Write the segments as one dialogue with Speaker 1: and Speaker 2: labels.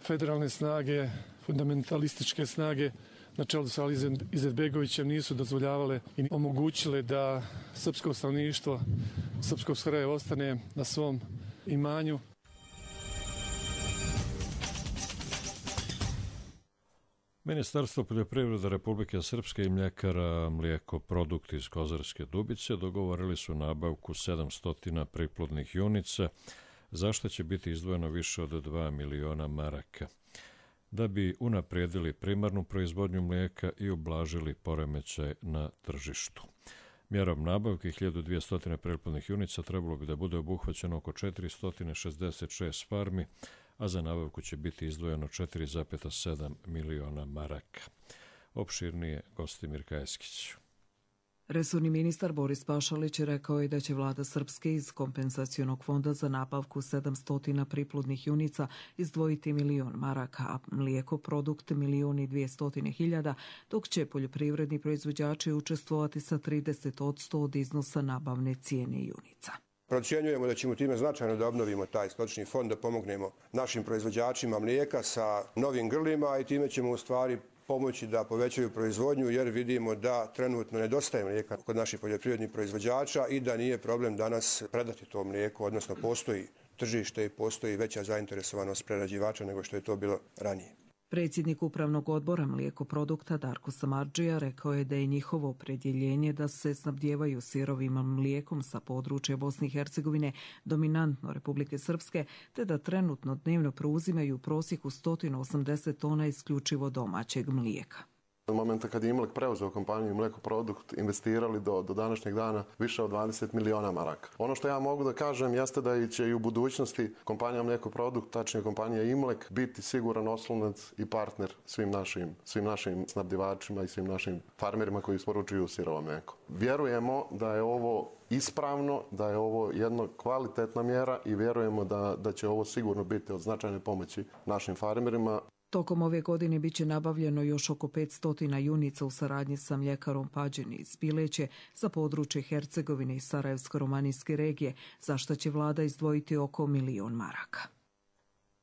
Speaker 1: federalne snage, fundamentalističke snage na čelu sa Alizem Izetbegovićem nisu dozvoljavale i omogućile da srpsko stanovništvo srpskog Sarajeva ostane na svom imanju.
Speaker 2: Ministarstvo poljoprivrede Republike Srpske i mljekara Mlijeko Produkt iz Kozarske Dubice dogovorili su nabavku 700 priplodnih junica, za što će biti izdvojeno više od 2 miliona maraka, da bi unaprijedili primarnu proizvodnju mlijeka i ublažili poremećaj na tržištu. Mjerom nabavke 1200 priplodnih junica trebalo bi da bude obuhvaćeno oko 466 farmi, a za nabavku će biti izdvojeno 4,7 miliona maraka. Opširnije Gostimir Kajeskić.
Speaker 3: Resorni ministar Boris Pašalić rekao je da će vlada Srpske iz kompenzacionog fonda za nabavku 700 priplodnih junica izdvojiti 1 milion maraka, a Mlijeko Produkt 1.200.000, dok će poljoprivredni proizvođači učestvovati sa 30% od iznosa nabavne cijene junica.
Speaker 4: Procjenjujemo da ćemo time značajno da obnovimo taj stočni fond, da pomognemo našim proizvođačima mlijeka sa novim grlima i time ćemo u stvari pomoći da povećaju proizvodnju, jer vidimo da trenutno nedostaje mlijeka kod naših poljoprivrednih proizvođača i da nije problem danas predati to mlijeko, odnosno postoji tržište i postoji veća zainteresovanost prerađivača nego što je to bilo ranije.
Speaker 3: Predsjednik Upravnog odbora Mlijeko Produkta Darko Samardžija rekao je da je njihovo opredjeljenje da se snabdijevaju sirovim mlijekom sa područja Bosne i Hercegovine, dominantno Republike Srpske, te da trenutno dnevno preuzimaju u prosjeku 180 tona isključivo domaćeg mlijeka.
Speaker 5: Od momenta kad je Imlek preuzeo kompaniju Mlijeko Produkt, investirali do današnjeg dana više od 20 miliona maraka. Ono što ja mogu da kažem jeste da će i u budućnosti kompanija Mlijeko Produkt, tačnije kompanija Imlek, biti siguran oslonac i partner svim našim snabdjevačima i svim našim farmerima koji isporučuju sirovo mlijeko. Vjerujemo da je ovo ispravno, da je ovo jedna kvalitetna mjera i vjerujemo da će ovo sigurno biti od značajne pomoći našim farmerima.
Speaker 3: Tokom ove godine biće nabavljeno još oko 500 junica u saradnji sa mljekarom Pađeni iz Pileće za područje Hercegovine i Sarajevsko-romanijske regije, za što će vlada izdvojiti oko 1 milion maraka.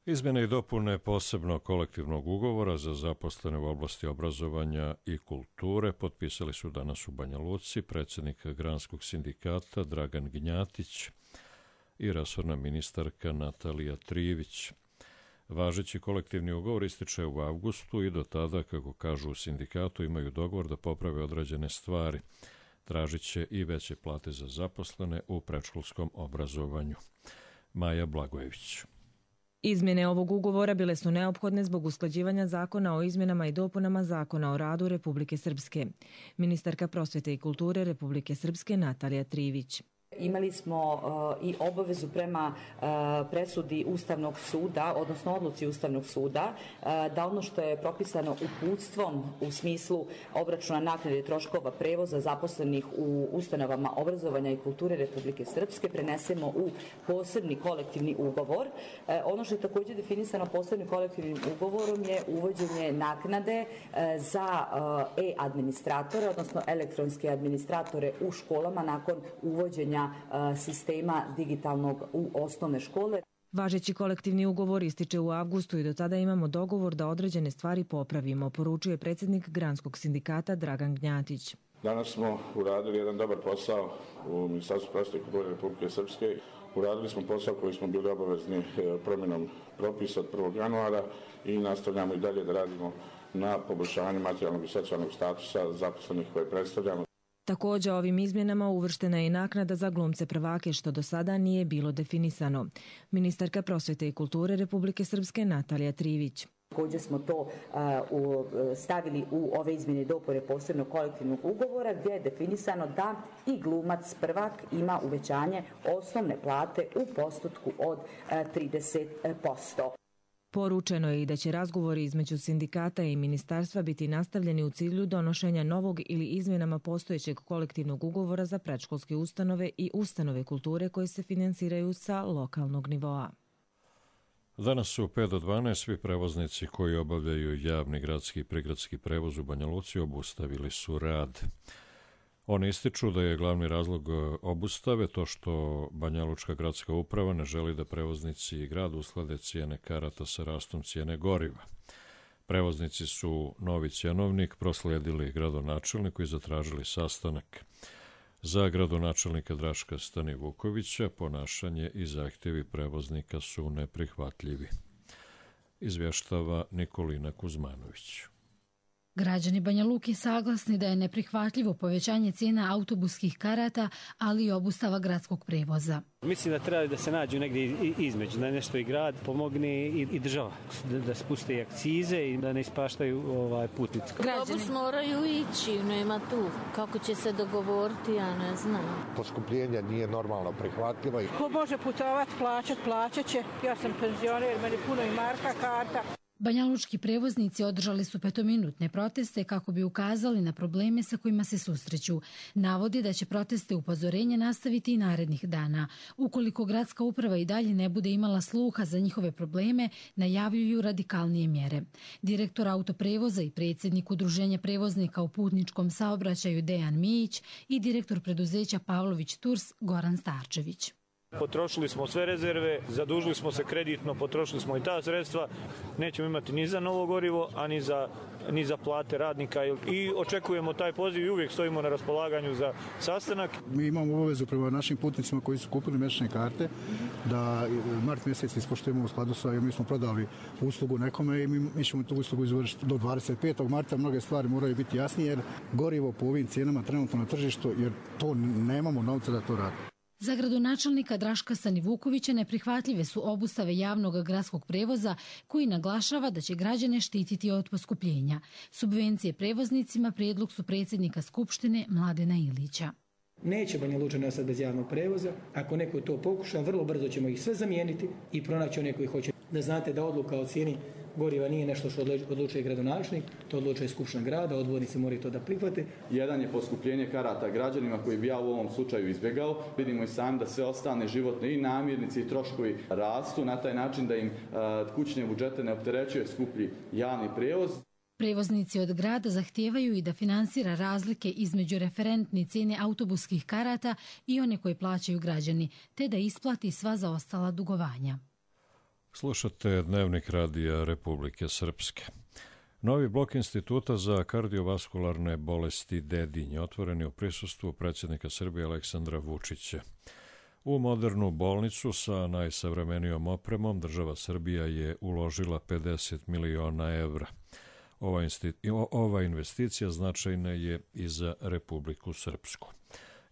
Speaker 2: Izmjene i dopune posebnog kolektivnog ugovora za zaposlene u oblasti obrazovanja i kulture potpisali su danas u Banja Luci predsjednik Granskog sindikata Dragan Gnjatić i resorna ministarka Natalija Trivić. Važeći kolektivni ugovor ističe u avgustu i do tada, kako kažu u sindikatu, imaju dogovor da poprave određene stvari. Tražit će i veće plate za zaposlene u predškolskom obrazovanju. Maja Blagojević.
Speaker 6: Izmjene ovog ugovora bile su neophodne zbog usklađivanja zakona o izmjenama i dopunama Zakona o radu Republike Srpske. Ministarka prosvjete i kulture Republike Srpske Natalija Trivić.
Speaker 7: Imali smo i obavezu prema presudi Ustavnog suda, odnosno odluci Ustavnog suda, da ono što je propisano uputstvom u smislu obračuna naknade troškova prevoza zaposlenih u ustanovama obrazovanja i kulture Republike Srpske prenesemo u posebni kolektivni ugovor. Ono što je također definisano posebnim kolektivnim ugovorom je uvođenje naknade za e-administratore, odnosno elektronske administratore u školama nakon uvođenja sistema digitalnog u osnovne škole.
Speaker 6: Važeći kolektivni ugovor ističe u avgustu i do tada imamo dogovor da određene stvari popravimo, poručuje predsjednik Granskog sindikata Dragan Gnjatić.
Speaker 8: Danas smo uradili jedan dobar posao u Ministarstvu prosvjete i kulture Republike Srpske. Uradili smo posao koji smo bili obavezni promjenom propisa od 1. januara i nastavljamo i dalje da radimo na poboljšavanju materijalnog i socijalnog statusa zaposlenih koje predstavljamo.
Speaker 6: Također ovim izmjenama uvrštena je i naknada za glumce prvake, što do sada nije bilo definisano. Ministarka prosvjete i kulture Republike Srpske Natalija Trivić.
Speaker 7: Također smo to stavili u ove izmjene i dopune posebnog kolektivnog ugovora gdje je definisano da i glumac prvak ima uvećanje osnovne plate u postotku od 30%.
Speaker 6: Poručeno je i da će razgovori između sindikata i ministarstva biti nastavljeni u cilju donošenja novog ili izmjenama postojećeg kolektivnog ugovora za predškolske ustanove i ustanove kulture koje se finansiraju sa lokalnog nivoa.
Speaker 2: Danas su 5 do 12 svi prevoznici koji obavljaju javni gradski i prigradski prevoz u Banja Luci obustavili su rad. Oni ističu da je glavni razlog obustave to što Banjalučka gradska uprava ne želi da prevoznici i grad usklade cijene karata sa rastom cijene goriva. Prevoznici su novi cjenovnik proslijedili gradonačelniku i zatražili sastanak. Za gradonačelnika Draška Stanivukovića ponašanje i zahtjevi prevoznika su neprihvatljivi. Izvještava Nikolina Kuzmanović.
Speaker 9: Građani Banja Luke saglasni da je neprihvatljivo povećanje cijena autobuskih karata, ali i obustava gradskog prevoza.
Speaker 10: Mislim da treba da se nađu negdje između, da nešto i grad pomogne i država, da spuste i akcize i da ne ispaštaju putnici.
Speaker 11: Autobus moraju ići, nema tu. Kako će se dogovoriti, ja ne znam.
Speaker 12: Poskupljenje nije normalno prihvatljivo.
Speaker 13: Ko može putovati, plaćat će. Ja sam penzioner, meni puno i marka, karta.
Speaker 9: Banjalučki prevoznici održali su 5-minutne proteste kako bi ukazali na probleme sa kojima se susreću. Navodi da će proteste upozorenja nastaviti i narednih dana. Ukoliko gradska uprava i dalje ne bude imala sluha za njihove probleme, najavljuju radikalnije mjere. Direktor autoprevoza i predsjednik Udruženja prevoznika u putničkom saobraćaju Dejan Mijić i direktor preduzeća Pavlović Tours Goran Starčević.
Speaker 10: Potrošili smo sve rezerve, zadužili smo se kreditno, potrošili smo i ta sredstva. Nećemo imati ni za novo gorivo, a ni za plate radnika. I očekujemo taj poziv i uvijek stojimo na raspolaganju za sastanak.
Speaker 14: Mi imamo obavezu prema našim putnicima koji su kupili mjesečne karte da mart mjesec ispoštujemo u skladu sa, mi smo prodali uslugu nekome i mi ćemo tu uslugu izvršiti do 25. marta. Mnoge stvari moraju biti jasnije jer gorivo po ovim cijenama trenutno na tržištu, jer to nemamo novca da to radimo.
Speaker 9: Za gradonačelnika Draška Stanivukovića neprihvatljive su obustave javnog gradskog prevoza koji naglašava da će građane štititi od poskupljenja. Subvencije prevoznicima prijedlog su predsjednika Skupštine Mladena Ilića.
Speaker 15: Neće Banja Luča ostati bez javnog prevoza. Ako neko to pokuša, vrlo brzo ćemo ih sve zamijeniti i pronaći one koji hoće. Da znate da odluka o cijeni goriva nije nešto što odlučuje gradonačelnik, to odlučuje Skupština grada, odbornici moraju to da prihvate.
Speaker 16: Jedan je poskupljenje karata građanima koji bi ja u ovom slučaju izbjegao. Vidimo i sami da sve ostane životne i namirnice i troškovi rastu na taj način da im kućne budžete ne opterećuje skuplji javni prevoz.
Speaker 9: Prevoznici od grada zahtijevaju i da finansira razlike između referentne cijene autobuskih karata i one koje plaćaju građani, te da isplati sva zaostala dugovanja.
Speaker 2: Slušate Dnevnik radija Republike Srpske. Novi blok Instituta za kardiovaskularne bolesti Dedinje otvoren je u prisustvu predsjednika Srbije Aleksandra Vučića. U modernu bolnicu sa najsavremenijom opremom država Srbija je uložila 50 miliona evra. Ova investicija značajna je i za Republiku Srpsku.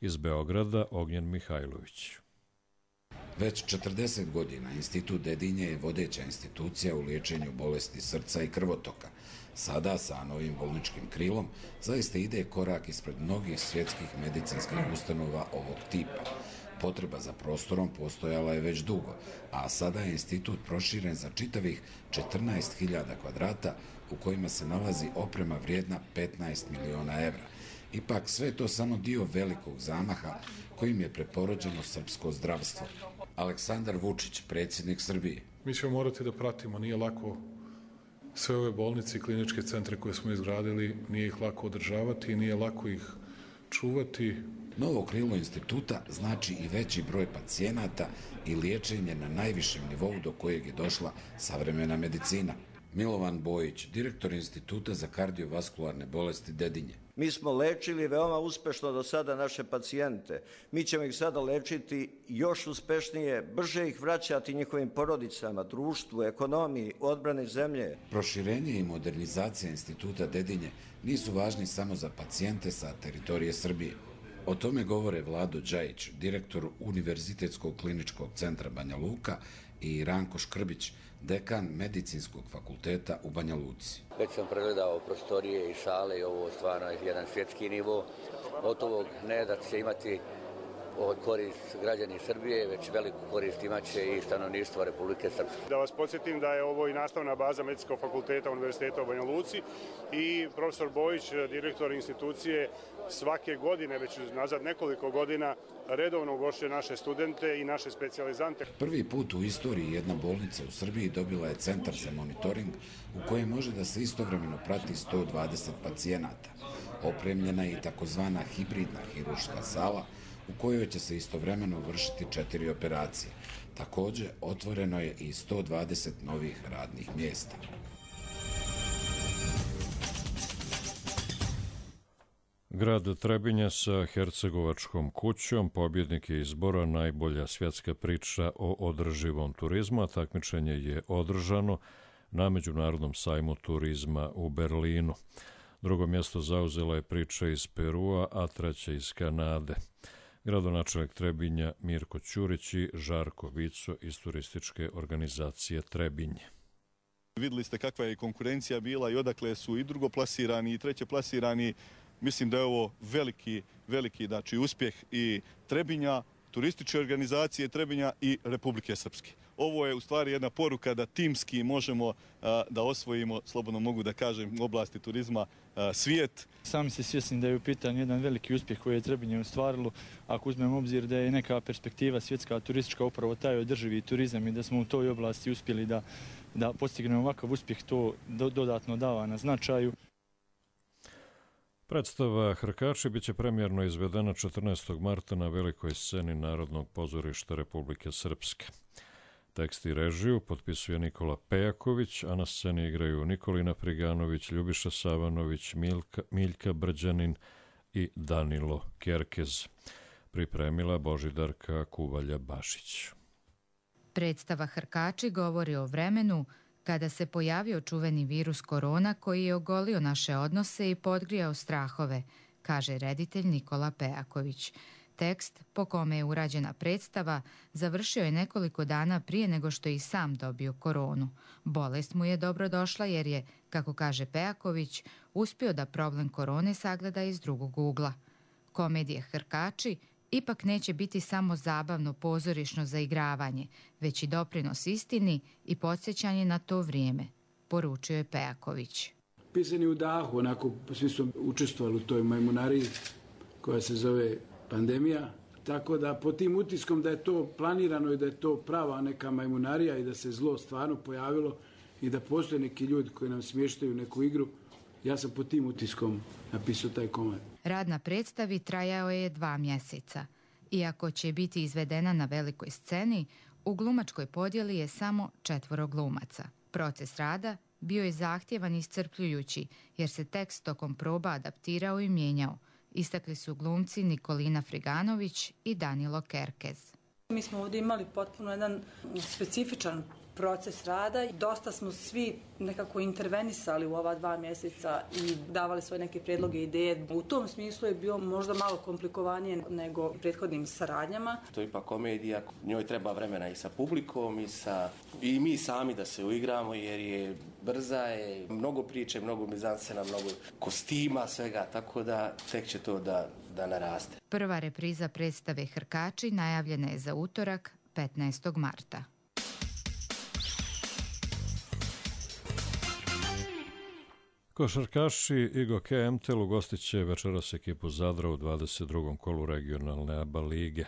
Speaker 2: Iz Beograda Ognjen Mihajlović.
Speaker 17: Već 40 godina Institut Dedinje je vodeća institucija u liječenju bolesti srca i krvotoka. Sada, sa novim bolničkim krilom, zaista ide korak ispred mnogih svjetskih medicinskih ustanova ovog tipa. Potreba za prostorom postojala je već dugo, a sada je institut proširen za čitavih 14.000 kvadrata u kojima se nalazi oprema vrijedna 15 miliona evra. Ipak sve je to samo dio velikog zamaha kojim je preporođeno srpsko zdravstvo. Aleksandar Vučić, predsjednik Srbije.
Speaker 18: Mi ćemo morati da pratimo, nije lako sve ove bolnice i kliničke centre koje smo izgradili, nije ih lako održavati i nije lako ih čuvati.
Speaker 17: Novo krilo instituta znači i veći broj pacijenata i liječenje na najvišem nivou do kojeg je došla savremena medicina. Milovan Bojić, direktor Instituta za kardiovaskularne bolesti Dedinje.
Speaker 19: Mi smo lečili veoma uspešno do sada naše pacijente. Mi ćemo ih sada lečiti još uspešnije, brže ih vraćati njihovim porodicama, društvu, ekonomiji, odbrani zemlje.
Speaker 17: Proširenje i modernizacija Instituta Dedinje nisu važni samo za pacijente sa teritorije Srbije. O tome govore Vlado Đajić, direktor Univerzitetskog kliničkog centra Banja Luka, i Ranko Škrbić, dekan Medicinskog fakulteta u Banja Luci.
Speaker 20: Već sam pregledao prostorije i sale i ovo stvarno je jedan svjetski nivo. Od ovog ne da će imati korist građani Srbije, već veliku korist imaće i stanovništvo Republike Srpske.
Speaker 21: Da vas podsjetim da je ovo i nastavna baza Medicinskog fakulteta Univerziteta u Banja Luci i profesor Bojić, direktor institucije, svake godine, već nazad nekoliko godina, redovno ugošćuje naše studente i naše specijalizante.
Speaker 17: Prvi put u istoriji jedna bolnica u Srbiji dobila je centar za monitoring u kojem može da se istovremeno prati 120 pacijenata. Opremljena je i takozvana hibridna hirurška sala u kojoj će se istovremeno vršiti 4 operacije. Također, otvoreno je i 120 novih radnih mjesta.
Speaker 2: Grad Trebinje sa Hercegovačkom kućom pobjednik je izbora Najbolja svjetska priča o održivom turizmu, a takmičenje je održano na Međunarodnom sajmu turizma u Berlinu. Drugo mjesto zauzela je priča iz Perua, a treća iz Kanade. Gradonačelnik Trebinja Mirko Ćurić i Žarko Vico iz turističke organizacije Trebinje.
Speaker 22: Vidjeli ste kakva je konkurencija bila i odakle su i drugoplasirani i trećeplasirani. Mislim da je ovo veliki uspjeh i Trebinja, turističke organizacije Trebinja i Republike Srpske. Ovo je u stvari jedna poruka da timski možemo da osvojimo, slobodno mogu da kažem, u oblasti turizma svijet.
Speaker 23: Sami se svjesni da je u pitanju jedan veliki uspjeh koji je Trebinje ostvarilo, ako uzmemo obzir da je neka perspektiva svjetska turistička upravo taj održivi turizam i da smo u toj oblasti uspjeli da postignemo ovakav uspjeh, to dodatno dava na značaju.
Speaker 2: Predstava Hrkači biće premijerno izvedena 14. marta na velikoj sceni Narodnog pozorišta Republike Srpske. Tekst i režiju potpisuje Nikola Pejaković, a na sceni igraju Nikolina Friganović, Ljubiša Savanović, Miljka Brđanin i Danilo Kerkez. Pripremila Božidarka Kuvalja-Bašić.
Speaker 24: Predstava Hrkači govori o vremenu kada se pojavio čuveni virus korona koji je ogolio naše odnose i podgrijao strahove, kaže reditelj Nikola Pejaković. Tekst, po kome je urađena predstava, završio je nekoliko dana prije nego što je i sam dobio koronu. Bolest mu je dobro došla jer je, kako kaže Pejaković, uspio da problem korone sagleda iz drugog ugla. Komedije Hrkači ipak neće biti samo zabavno pozorišno zaigravanje, već i doprinos istini i podsjećanje na to vrijeme, poručio je Pejaković.
Speaker 25: Pisani u dahu, onako svi su učestvovali u toj majmunariji koja se zove pandemija, tako da po tim utiskom da je to planirano i da je to prava neka majmunarija i da se zlo stvarno pojavilo i da postoje neki ljudi koji nam smještaju neku igru, ja sam po tim utiskom napisao taj komad.
Speaker 24: Rad na predstavi trajao je 2 mjeseca. Iako će biti izvedena na velikoj sceni, u glumačkoj podjeli je samo 4 glumaca. Proces rada bio je zahtjevan i iscrpljujući, jer se tekst tokom proba adaptirao i mijenjao. Istakli su glumci Nikolina Friganović i Danilo Kerkez.
Speaker 26: Mi smo ovdje imali potpuno jedan specifičan proces rada. Dosta smo svi nekako intervenisali u ova 2 mjeseca i davali svoje neke prijedloge i ideje. U tom smislu je bio možda malo komplikovanije nego u prethodnim saradnjama.
Speaker 27: To je ipak komedija, njoj treba vremena i sa publikom i mi sami da se uigramo jer je brza, je mnogo priče, mnogo mizanscena, mnogo kostima, svega, tako da tek će to da naraste.
Speaker 24: Prva repriza predstave Hrkači najavljena je za utorak 15. marta.
Speaker 2: Košarkaši IGOK MTEL ugostit će večeras ekipu Zadra u 22. kolu regionalne ABA lige.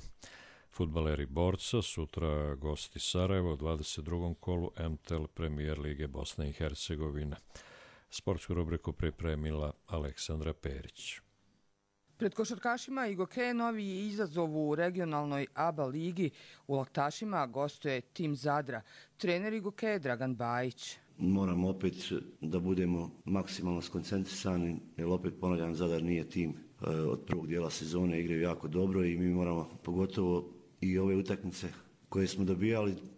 Speaker 2: Fudbaleri Borca sutra gosti Sarajevo u 22. kolu MTEL Premijer lige Bosne i Hercegovine. Sportsku rubriku pripremila Aleksandra Perić.
Speaker 28: Pred košarkašima IGOK novi je izazov u regionalnoj ABA ligi. U Laktašima gostuje tim Zadra. Trener IGOK Dragan Bajić.
Speaker 29: Moramo opet da budemo maksimalno skoncentrisani, jer opet ponavljam, Zadar nije tim od prvog dijela sezone, igraju jako dobro i mi moramo, pogotovo i ove utakmice koje smo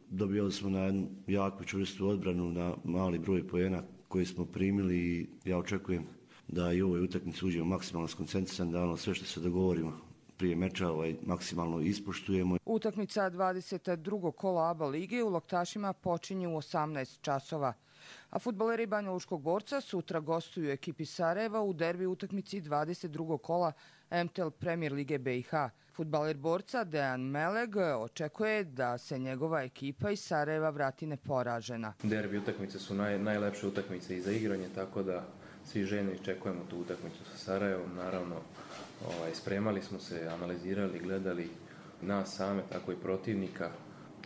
Speaker 29: dobijali smo na jednu jaku čvrstu odbranu, na mali broj poena koji smo primili i ja očekujem da i u ovoj utakmici uđemo maksimalno skoncentrisani, da sve što se dogovorimo prije meča maksimalno ispoštujemo.
Speaker 28: Utakmica 22. kola ABA lige u Loktašima počinje u 18 časova. A fudbaleri Banja Lučkog Borca sutra gostuju ekipi Sarajeva u derbi utakmici 22. kola MTL Premier Lige BiH. Fudbaler Borca Dejan Meleg očekuje da se njegova ekipa iz Sarajeva vrati neporažena.
Speaker 1: Derbi utakmice su najlepše utakmice i za igranje, tako da svi željno iščekujemo tu utakmicu sa Sarajevom. Naravno, spremali smo se, analizirali, gledali nas same, tako i protivnika.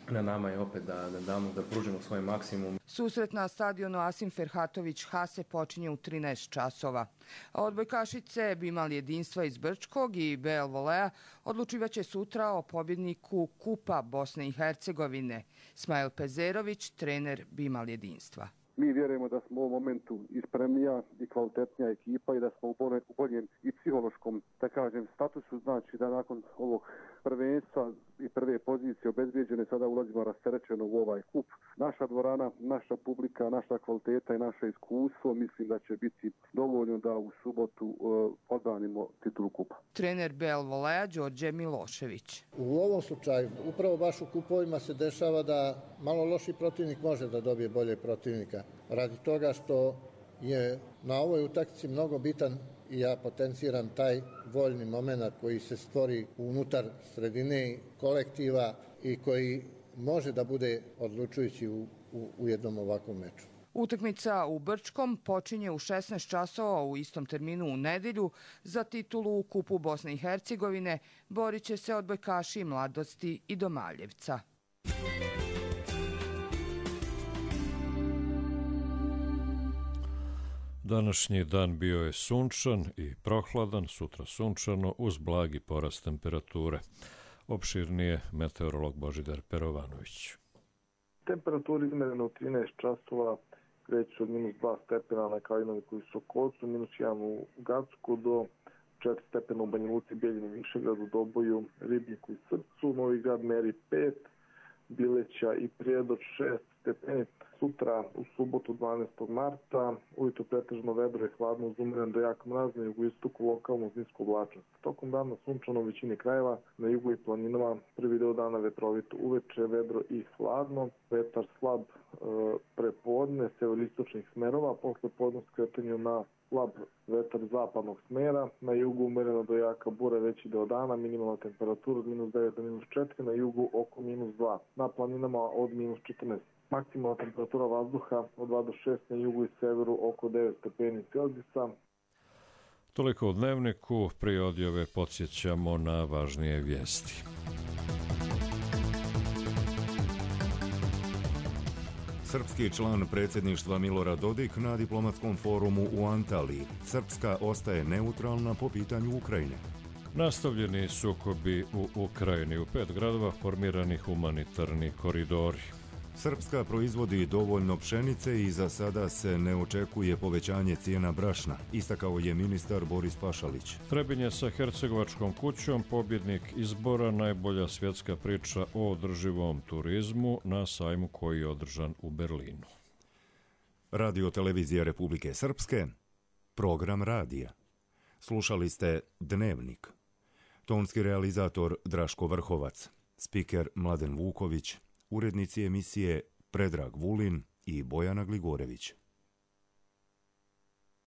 Speaker 1: Na nama je opet da pružimo svoj maksimum.
Speaker 28: Susret na stadionu Asim Ferhatović Hase počinje u 13 časova. A odbojkašice Bimal Jedinstva iz Brčkog i BL Volea odlučivaće sutra o pobjedniku Kupa Bosne i Hercegovine. Smajl Pezerović, trener Bimal Jedinstva.
Speaker 3: Mi vjerujemo da smo u ovom momentu i spremnija i kvalitetnija ekipa i da smo u boljem i psihološkom, da kažem, statusu. Znači da nakon ovog prvenstva i prve pozicije obezbijeđene sada ulazimo rasterećeno u ovaj kup. Naša dvorana, naša publika, naša kvaliteta i naše iskustvo mislim da će biti dovoljno da u subotu odbranimo titulu kupa.
Speaker 28: Trener BL Volea Đorđe Milošević.
Speaker 4: U ovom slučaju, upravo baš u kupovima se dešava da malo loši protivnik može da dobije bolje protivnika. Radi toga što je na ovoj utakmici mnogo bitan i ja potenciram taj voljni moment koji se stvori unutar sredine kolektiva i koji može da bude odlučujući u jednom ovakvom meču.
Speaker 28: Utakmica u Brčkom počinje u 16 časova u istom terminu u nedjelju. Za titulu u Kupu Bosne i Hercegovine borit će se odbojkaši Mladosti i Domaljevca.
Speaker 2: Današnji dan bio je sunčan i prohladan, sutra sunčano uz blagi porast temperature. Opširnije meteorolog Božidar Perovanović.
Speaker 5: Temperatura izmerena u 13 časova kreće od -2 stepena na Kalinovi koji su u Kocu, -1 u Gacku do 4 stepena u Banja Luci, Bijeljini, Višegradu, Doboju, Ribniku i Srpcu. Novi Grad meri 5, Bileća i Prijedor 6 stepeni. Sutra u subotu 12. marta, ujutro pretežno vedro i hladno uz umeren do jak mraz, na jugoistoku lokalno uz nisku oblačnost. Tokom dana sunčano u većini krajeva, na jugu i planinama prvi deo dana vetrovito, uveče vedro i hladno, vetar slab prepodne, severistočnih smerova, posle podne skretanju na slab vetar zapadnog smera, na jugu umereno do jaka bura veći deo dana, minimalna temperatura od -9 do -4, na jugu oko -2, na planinama od -14. Maksimalna temperatura vazduha od 2 do 6, na jugu i severu oko 9 stepeni Celzijusa.
Speaker 2: Toliko u dnevniku, prije odjave podsjećamo na važnije vijesti.
Speaker 6: Srpski član predsjedništva Milorad Dodik na diplomatskom forumu u Antaliji. Srpska ostaje neutralna po pitanju Ukrajine.
Speaker 2: Nastavljeni sukobi u Ukrajini. U 5 gradova formirani humanitarni koridori.
Speaker 6: Srpska proizvodi dovoljno pšenice i za sada se ne očekuje povećanje cijena brašna, istakao je ministar Boris Pašalić.
Speaker 2: Trebinje sa Hercegovačkom kućom, pobjednik izbora, najbolja svjetska priča o održivom turizmu na sajmu koji je održan u Berlinu.
Speaker 6: Radio Televizija Republike Srpske, program radija. Slušali ste Dnevnik. Tonski realizator Draško Vrhovac, spiker Mladen Vuković, urednici emisije Predrag Vulin i Bojana Gligorević.